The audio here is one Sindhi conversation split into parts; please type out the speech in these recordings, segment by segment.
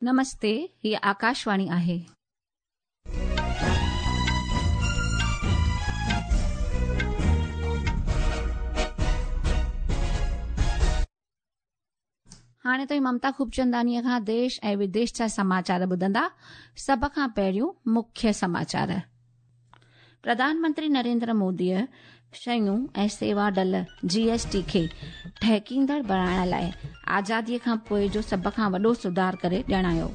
نمستي، هيء آڪاشواڻي آهي. هاڻي توهين ممتا خوبچنداڻيء کان ديش ۽ وديش جا سماچار ٻڌندا. سڀ کان پهريون مکيه سماچار. پرڌان منتري نريندر موديء شيون ۽ سيوا ڊل، جي ايس ٽي، کي ٺهڪيندڙ بڻائڻ لاء آزاديء کان پوء جو سڀ کان وڏو سڌار ڪري ڄاڻايو.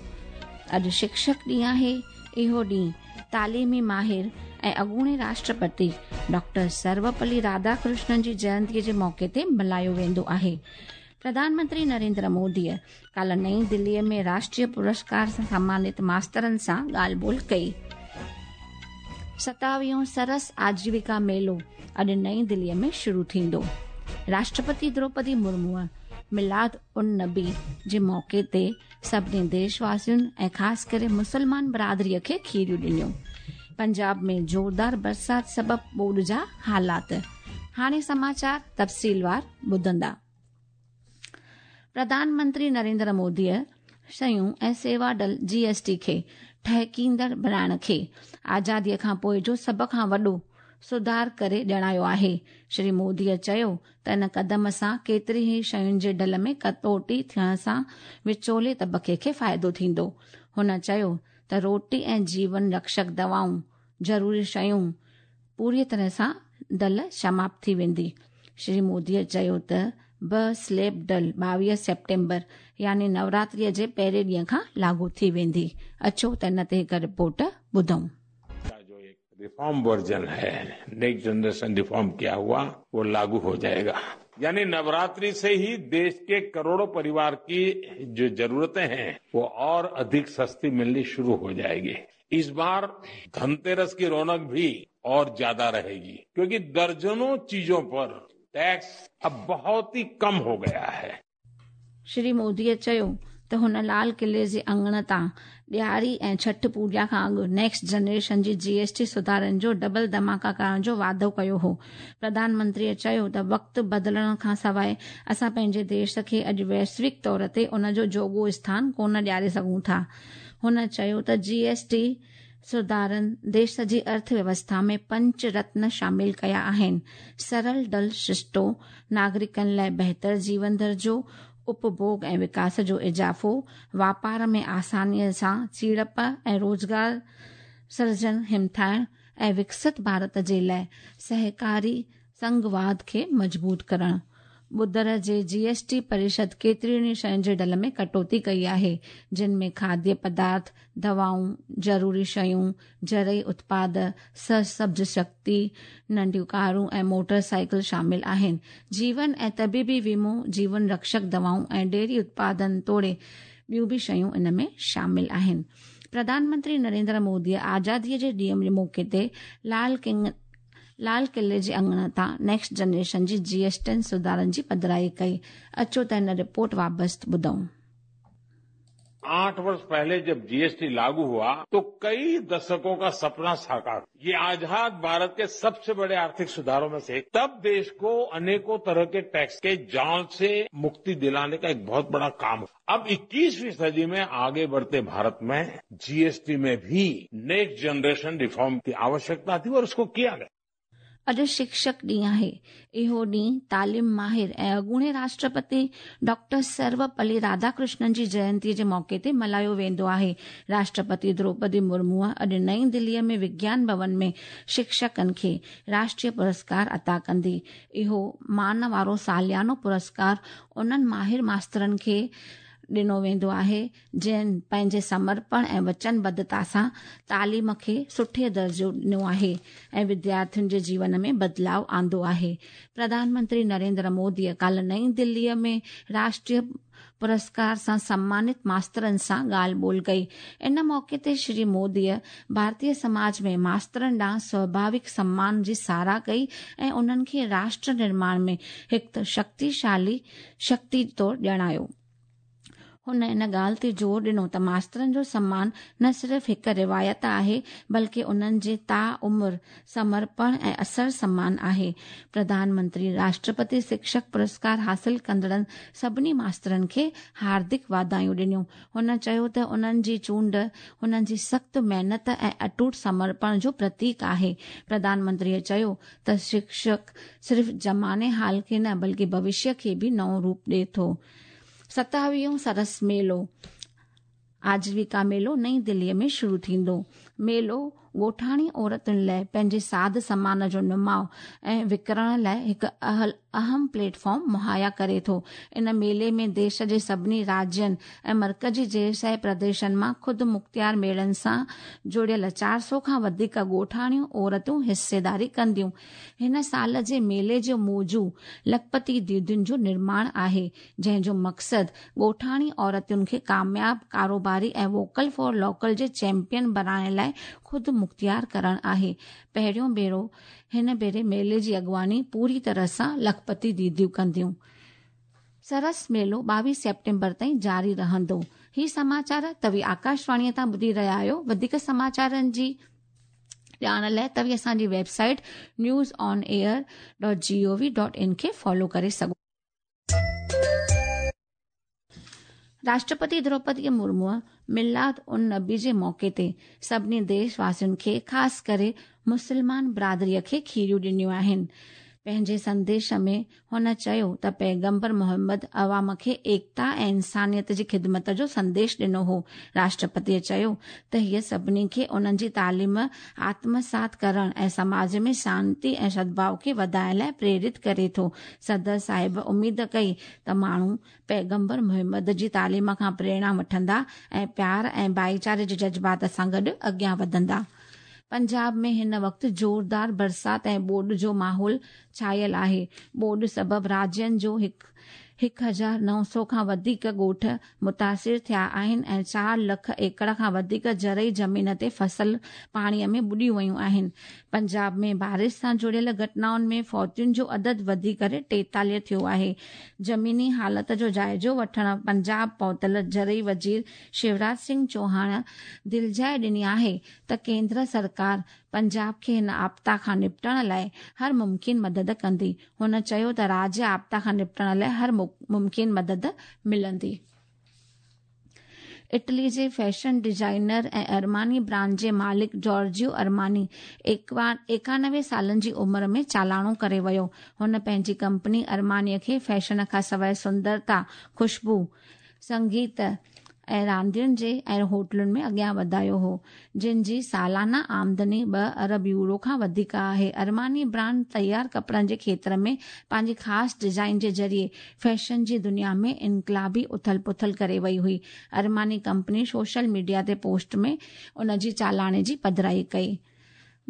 اڄ شڪشڪ ڏينهن آهي. اهو ڏينهن تعليمي ماهر ۽ اڳوڻي راشٽرپتي ڊاڪٽر سروپلي راڌاڪرشنن جي جينتيء جي موقعي تي ملهايو ويندو آهي. پرڌان منتري نريندر موديء ڪالهه نئين دليء ۾ راشٽريه پرسڪار سان سمانت ماسترن سان ڳالهه ٻولهه ڪئي. ستاويهون سرس آجيوڪا ميلو اڄ نئين دليء ۾ شروع ٿيندو. راشٽرپتي دروپدي مرموء ميلاد النبي جي موقعي تي سڀني ديش واسين ۽ خاص ڪري مسلمان برادريء کي کيريون ڏنيون. پنجاب ۾ زوردار برسات سبب ٻوڏ جا حالات. هاڻي سماچار تفصيلوار ٻڌندا. پرڌان منتري نريندر موديء شيون ۽ سيوا ڊل، جي ايس ٽي، کي ٺهڪيندڙ بڻائڻ کي آزاديء کان پوء جو سڀ کان وڏو سڌار ڪري ڄاڻايو آهي. شري موديء چيو ته ان قدم سان ڪيترين ئي شين جي ڊل ۾ ڪٽوتي ٿيڻ سان وچولي طبقي کي فائدو ٿيندو. هن چيو ته روٽي ۽ جيون رڪشڪ دوائون، ضروري شيون پوريء طرح سان ڊل سماپت ٿي ويندي. شري موديء چيو ته به سليب ڊل 22 سيپٽمبر يعني نوراتريء جي پهرين ڏينهن کان لاڳو ٿي ويندي. اچو ته ان تي هڪ رپورٽ ٻڌون. रिफॉर्म वर्जन है नेक्स्ट जनरेशन रिफॉर्म किया हुआ वो लागू हो जाएगा यानी नवरात्रि से ही देश के करोड़ों परिवार की जो जरूरतें हैं वो और अधिक सस्ती मिलनी शुरू हो जाएगी। इस बार धनतेरस की रौनक भी और ज्यादा रहेगी क्योंकि दर्जनों चीजों पर टैक्स अब बहुत ही कम हो गया है। شري موديء چيو ته هن لال قلعي جي اڱڻ تان ڏياري ۽ ڇٺ پوڄا کان اڳ نيڪسٽ جنريشن جي جي ايس ٽي سڌارن جو ڊبل ڌماڪا ڪرڻ جو واعدو ڪيو هو. پرڌان منتريء چيو ته وقت بدلڻ کانسواء اسان پنهنجي ديش کي اڄ ويشوڪ طور تي ان جو جوڳو اسٿان ڪونه ڏياري سگهون ٿا. هن چيو ته جي ايس ٽي سڌارن ديش جي ارٿ ويوسٿا ۾ پنچ رتن شامل ڪيا آهن، سرل ڊل سرشتو، ناگرڪن لاء بهتر جيون درجو، اپڀوڳ ۽ وڪاس جو اضافو، واپار ۾ آسانيء سان سيڙپ ۽ روزگار سرجن همٿائڻ ۽ وڪست ڀارت جي لاء سهڪاري سنگهواد کي مضبوط ڪرڻ. ٻڌر جي جي ايس ٽي پريشد ڪيترين ئي شين جي ڊل ۾ ڪٽوتي ڪئي آهي، جن ۾ کاديه پدارٿ، دوائون، ضروري شيون، زرعي اتپاد، سرسبز شڪتي، ننڍيون ڪارون ۽ موٽر سائيڪل شامل آهن. جيون ۽ طبيبي ويمو، جيون رڪشڪ دوائون ۽ ڊيري اتپادن توڙي ٻيون به شيون ان ۾ شامل آهن. پرڌان منتري نريندر موديء آزاديء جي ڏينهن جي موقعي تي لال ڪنگ لال قلعي جي اڱڻ تان نيڪسٽ جنريشن جي جي ايس ٽين سڌارن جي پڌرائي ڪئي. اچو ته هن رپورٽ وابست ٻڌون. 8 वर्ष पहले जब जीएसटी लागू हुआ तो कई दशकों का सपना साकार ये आजाद भारत के सबसे बड़े आर्थिक सुधारों में से एक तब देश को अनेकों तरह के टैक्स के जाल से मुक्ति दिलाने का एक बहुत बड़ा काम अब 21वीं सदी में आगे बढ़ते भारत में जीएसटी में भी नेक्स्ट जनरेशन रिफॉर्म की आवश्यकता थी और उसको किया गया। اڄ شڪشڪ ڏينهن آهي. اهو ڏينهن تعليم ماهر ۽ اڳوڻي راشٽرپتي ڊاڪٽر سروپلي راڌاڪرشنن جي جينتي جي موقعي تي ملهايو ويندو آهي. راشٽرپتي دروپدي مرموء اڄ نئين دليء ۾ وگيان ڀون ۾ شڪشڪن کي راشٽريه پرسڪار عطا ڪندي. اهو مان وارو ساليانو پرسڪار انهن ماهر ماسترن کي ڏنو ويندو آهي، جن پنهنجي سمرپڻ ۽ وچنبڌتا سان تعليم کي سٺي درجو ڏنو آهي ۽ وديارٿين جي جيون ۾ بدلاء آندو آهي. پرڌان منتري نريندر موديء ڪالهه نئين دليء ۾ راشٽريه پرسڪار سان سمانت ماسترن سان ڳالهه ٻولهه ڪئي. ان موقعي تي شري موديء ڀارتيه سماج ۾ ماسترن ڏانهن سواڀاوڪ سمان جي ساراهه ڪئي ۽ انهن کي راشٽر نرماڻ ۾ هڪ شڪتيشالي شڪتي طور ڄاڻايو. هن ان ڳالهه تي زور ڏنو ته ماسترن جو سمان نه صرف هڪ روايت آهي بلڪه انهن جي تا عمر سمرپڻ ۽ اثر سمان آهي. پرڌان منتري راشٽرپتي شڪشڪ پرسڪار حاصل ڪندڙن سڀني ماسترن کي هاردڪ واڌايون ڏنيون. هن چيو ته انهن جي چونڊ هنن جي سخت محنت ۽ اٽوٽ سمرپڻ جو پرتيڪ آهي. پرڌان منتريء چيو ته شڪشڪ صرف زماني حال کي نه بلڪه ڀوشيه کي به نئون روپ ڏئي ٿو. ستاويهون سرس ميلو آجيوڪا ميلو نئين دليء ۾ شروع ٿيندو. ميلو ڳوٺاڻي عورتن لاءِ پنهنجي ساڌ سامان جو نماءُ ۽ وڪڻڻ لاءِ هڪ اهم پليٽ فارم مهيا ڪري ٿو. ان ميلي ۾ ديش جي سڀني راجين ۽ مرڪزي زيرشاهي پرديشن مان خود مختيار ميڙن سان جڙيل 400 کان وڌيڪ ڳوٺاڻيون عورتون حصيداري ڪنديون. هن سال جي ميلي جو موضوع لکپتي ديدين جو نرماڻ آهي، جنهن جو مقصد ڳوٺاڻي عورتن کي ڪامياب ڪاروباري ۽ ووڪل فار لوڪل جي چيمپيئن بڻائڻ لاءِ خود مختيار ڪرڻ آهي. پهريون ڀيرو هن ڀيري ميلي جي اڳواڻي پوري طرح سان لکپتي ديديون ڪنديون. سرس ميلو 22 سيپٽمبر تائين جاري رهندو. هي سماچار توهين آڪاشواڻيءَ تان ٻڌي رهيا آهيو. وڌيڪ سماچارن جي ڄاڻ لاءِ توهين اسان جي web site news on air dot G O V dot in کي فالو ڪري سگهو. راشٽرپتي دروپدي مرموءَ ميلاد ان نبي جي موقعي تي سڀني ديش واسين کي خاص ڪري مسلمان برادريءَ کي کيريون ڏنيون آهن. پنهنجي سنديش ۾ هن چيو ته پيغمبر محمد عوام کي ايڪتا ۽ انسانيت جي خدمت جو سنديش ڏنو هو. راشٽرپتيءَ چيو ته هيءَ سڀني کي انهن جي تعليم آتمسات ڪرڻ ۽ سماج ۾ شانتي ۽ سدڀاءُ کي وڌائڻ لاءِ پريرت ڪري ٿو. صدر صاحب اميد ڪئي ته ماڻهو پيغمبر محمد جي تعليم کان پريرڻا وٺندا ۽ پيار ۽ ڀائيچاري جي جذبات سان گڏ اڳيان وڌندا. پنجاب ۾ هن وقت زوردار برسات ۽ ٻوڏ جو ماحول ڇانيل آهي. ٻوڏ سبب راجين جو 1900 کان وڌيڪ ڳوٺ متاثر ٿيا آهن ۽ 4 لک ايڪڙ کان وڌيڪ زرعي زمين تي فصل پاڻيءَ ۾ ٻڏي ويون آهن. پنجاب ۾ بارش سان جڙيل گهٽنائن ۾ فوتين جو عدد وڌي ڪري 43 ٿيو آهي. زميني حالت جو جائزو وٺڻ پنجاب پهتل زرعي وزير شيوراج سنگهه چوهاڻ دلجاءِ ڏني آهي ته ڪيندر سرڪار پنجاب کي هن آپدا کان نپٽڻ لاءِ هر ممڪن مدد ڪندي. هن چيو ته راجيه آپدا کان نپٽڻ لاءِ هر ممڪن مدد ملندي. اٽلي جي فيشن ڊزائنر ۽ ارماني برانڊ جي مالڪ جارجيو ارماني 91 سالن جي عمر ۾ چالاڻو ڪري ويو. هن پنهنجي ڪمپني ارمانيءَ کي فيشن کان سواءِ سندرتا، خوشبو، سنگيت ۽ راندين جي ۽ هوٽلن ۾ اڳيان وڌايو هو، جن جي سالانه آمدني 2 ارب يورو کان وڌيڪ آهي. ارماني برانڊ تيار ڪپڙن جي کيتر ۾ پنهنجي خاص ڊزائن جي ذريعي فيشن جي دنيا ۾ انقلابي اٿل پٿل ڪري وئي هئي. ارماني ڪمپني سوشل ميڊيا تي پوسٽ ۾ ان جي چالاڻي جي پڌرائي ڪئي.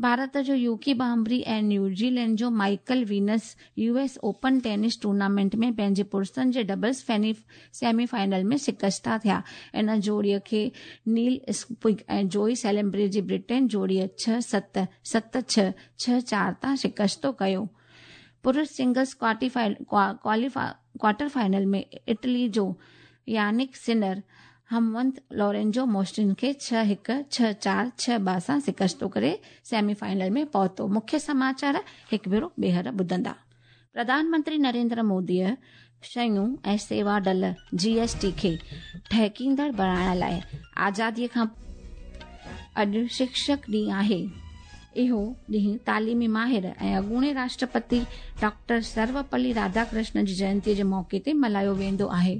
ڀارت جو يوڪي ڀامبري ۽ نيوزيلينڊ جو Michael Venus U S open tennis tournament ۾ پنهنجي پرشن جي ڊبلز سيمي فائنل ۾ شڪسته ٿيا. ان جوڙيءَ کي نيل اسپڪ ۽ جوئي سيلمبري جي برٽين جوڙيءَ 6-7، 7-6، 6-4 تان شڪستو ڪيو. پرش سنگلز ڪوارٽر فائنل ۾ اٽلي جو يانڪ سنر همونت لورينزو موسٽن کي 6-1، 6-4، 6-2 سان شڪستو ڪري سيمي فائنل ۾ پهتو. مکيه سماچار هڪ ڀيرو ٻيهر ٻڌندا. پرڌان منتري نريندر موديءَ شيون ۽ سيوا ڊل جي ايس ٽي کي ٺهڪيندڙ بڻائڻ لاءِ آزاديءَ کان اڄ شڪشڪ ڏينهن آهي. اهو ڏينهن تعليمي ماهر ۽ اڳوڻي راشٽرپتي ڊاڪٽر سروپلي راڌاڪرشنن جي جينتيءَ جي موقعي تي ملهايو ويندو آهي.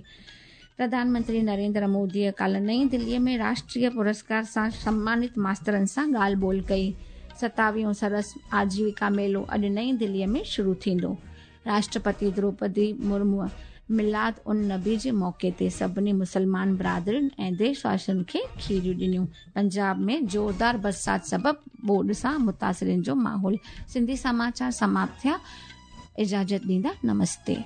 پرڌان منتري نريندر موديءَ ڪالهه نئين دليءَ ۾ راشٽريه پرسڪار سان سمانت ماسترن سان ڳالهه ٻولهه ڪئي. 27 سرس آجيوڪا ميلو اڄ نئين دليءَ ۾ شروع ٿيندو. راشٽرپتي دروپدي مرموءَ ميلاد ان نبي جي موقعي تي سڀني مسلمان برادرين ۽ ديش واسين کي کيريون ڏنيون. پنجاب ۾ زوردار برسات سبب ٻوڏ سان متاثرين جو ماحول. سنڌي سماچار سماپت ٿيا. اجازت ڏيندا. نمستي.